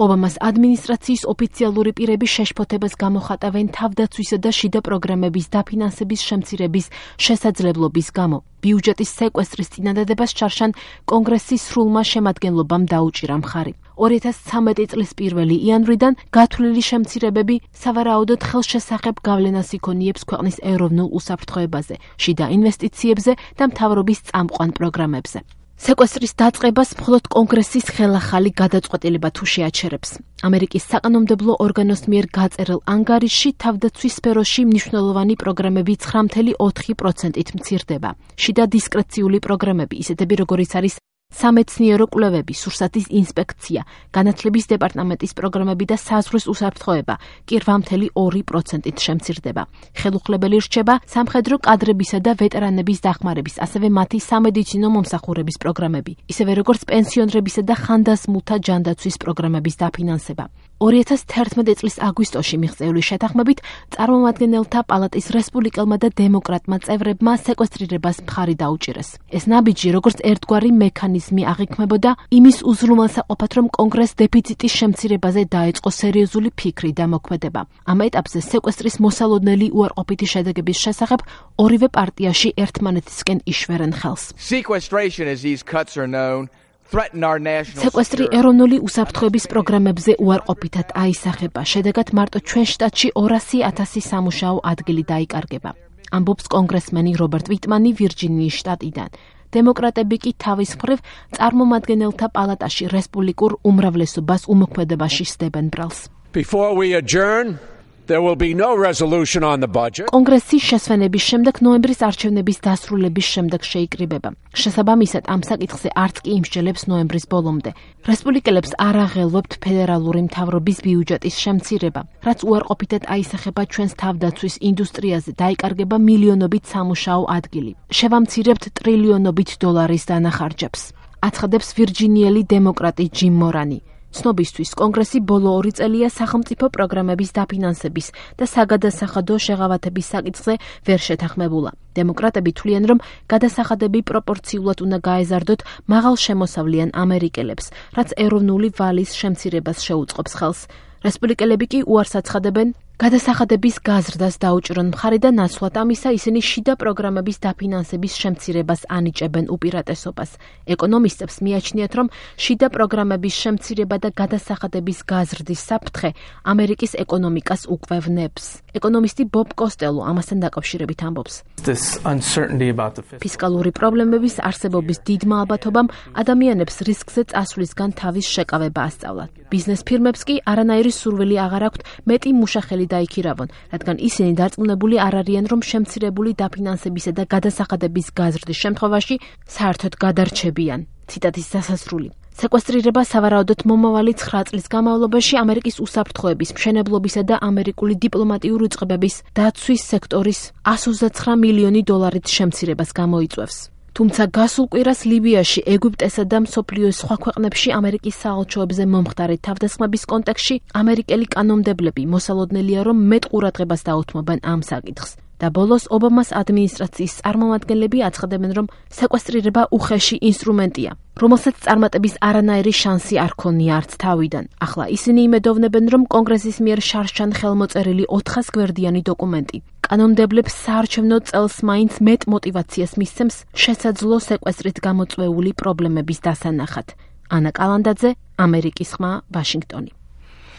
ობამას ადმინისტრაციის ოფიციალური პირები შეშფოთებას გამოხატავენ თავდაცვისა და შიდა პროგრამების დაფინანსების შემცირების შესაძლებლობის გამო. ბიუჯეტის სეკვესტრის წინადადებას ჩარშან კონგრესის სრულმა შემადგენლობამ დაუჭირა მხარი. 2013 წლის 1 იანვრიდან გათვლილი შემცირებები სავარაუდოდ ხელშესახებ გავლენას იქონიებს ქვეყნის ეროვნულ უსაფრთხოებაზე, შიდა ინვესტიციებზე და მთავრობის წამყვან პროგრამებზე. სეკვესტრის დაწყებას მხოლოდ კონგრესის ხელახალი გადაწყვეტილება თუ შეაჩერებს. ამერიკის საკანონმდებლო ორგანოს მიერ გაწერილ ანგარიშში თავდაცვის სფეროში მნიშვნელოვანი პროგრამები 9.4%-ით მცირდება. შიდა დისკრეციული პროგრამები, ისეთები როგორიც არის სამეცნიერო კვლევები, სურსათის ინსპექცია, განათლების დეპარტამენტის პროგრამები და საზღვრის უსაფრთხოება კი 8.2%-ით შემცირდება. ხელუხლებელი რჩება სამხედრო კადრებისა და ვეტერანების დახმარების, ასევე მათი სამედიცინო მომსახურების პროგრამები, ისევე როგორც პენსიონრებისა და ხანდაზმულთა ჯანდაცვის პროგრამების დაფინანსება. 2011 წლის აგვისტოში მიღწეული შეთანხმებით წარმომადგენელთა პალატის რესპუბლიკელმა და დემოკრატმა წევრებმა სეკვესტრირებას მხარი დაუჭირეს. ეს ნაბიჯი როგორც ერთგვარი მექანიზმი აღიქმებოდა იმის უზრუნველსაყოფად, რომ კონგრესს დეფიციტის შემცირებაზე დაეწყო სერიოზული ფიქრი და მოქმედება. ამ ეტაპზე სეკვესტრის მოსალოდნელი უარყოფითი შედეგების შესახებ ორივე პარტიაში ერთმანეთისკენ იშვერენ ხელს. სეკვესტრი ეროვნული უსაფრთხოების პროგრამებზე უარყოფითად აისახება. შედეგად მარტო ჩვენ შტატში 200,000 სამუშაო ადგილი დაიკარგება. ამბობს კონგრესმენი რობერტ ვიტმანი ვირჯინიის შტატიდან. დემოკრატები კი თავის მხრივ წარმომადგენელთა პალატაში რესპუბლიკურ უმრავლესობას უმოქმედებაში სდებენ ბრალს. კონგრესის შესვენების შემდეგ ნოემბრის არჩევნების დასრულების შემდეგ შეიკრიბება. შესაბამისად, ამ საკითხზე არც კი იმსჯელებს ნოემბრის ბოლომდე. რესპუბლიკელებს არ აღელვებთ ფედერალური მთავრობის ბიუჯეტის შემცირება, რაც უარყოფითად აისახება ჩვენს თავდაცვის ინდუსტრიაზე, დაიკარგება მილიონობით სამუშაო ადგილი. შევამცირებთ ტრილიონობით დოლარის დანახარჯებს. აცხადებს ვირჯინიელი დემოკრატი ჯიმ მორანი. ცნობისთვის, კონგრესი ბოლო 2 წელია სახელმწიფო პროგრამების დაფინანსების და საგადასახადო შეღავათების საკითხზე ვერ შეთანხმებულა. დემოკრატები თვლიან, რომ გადასახადები პროპორციულად უნდა გაეზარდოთ მაღალშემოსავლიან ამერიკელებს, რაც ეროვნული ვალის შემცირებას შეუწყობს ხელს. რესპუბლიკელები კი უარს აცხადებენ გადასახადების გაზრდას დაუჭრონ მხარი და ნაცვლად ამისა ისინი შიდა პროგრამების დაფინანსების შემცირებას ანიჭებენ უპირატესობას. ეკონომისტებს მიაჩნიათ, რომ შიდა პროგრამების შემცირება და გადასახადების გაზრდის საფრთხე ამერიკის ეკონომიკას უკვლევნებს. ეკონომისტი ბობ კოსტელო ამასთან დაკავშირებით ამბობს. ფისკალური პრობლემების არსებობის დიდმა ალბათობამ ადამიანებს რისკზე წასვლისგან თავის შეკავება ასწავლათ. ბიზნეს ფირმებს კი არანაირი სურვილი აღარ აქვთ მეტი მუშახელი დაიქირავონ, რადგან ისინი დარწმუნებული არ არიან, რომ შემცირებული დაფინანსებისა და გადასახადების გაზრდის შემთხვევაში საერთოდ გადარჩებიან. ციტატის დასასრული. სეკვესტრირება სავარაუდოდ მომავალი 9 წლის განმავლობაში ამერიკის უსაფრთხოების, მშენებლობისა და ამერიკული დიპლომატიური უწყებების დაცვის სექტორის 129 მილიონი დოლარით შემცირებას გამოიწვევს. თუმცა გასულ კვირას ლიბიაში, ეგვიპტესა და მსოფლიოს სხვა ქვეყნებში ამერიკის საელჩოებზე მომხდარი თავდასხმების კონტექსტში ამერიკელი კანონმდებლები მოსალოდნელია, რომ მეტ ყურადღებას დაუთმობენ ამ საკითხს. და ბოლოს ობამას ადმინისტრაციის წარმომადგენლები აცხადებენ, რომ სეკვესტრირება უხეში ინსტრუმენტია, რომელსაც წარმატების არანაირი შანსი არ ქონია არც თავიდან. ახლა ისინი იმედოვნებენ, რომ კონგრესის მიერ შარშან ხელმოწერილი 400 გვერდიანი დოკუმენტი კანონმდებლებს საარჩევნო წელს მაინც მეტ მოტივაციას მისცემს შესაძლო სეკვესტრით გამოწვეული პრობლემების დასანახად. ანა კალანდაძე, ამერიკის ხმა, ვაშინგტონი.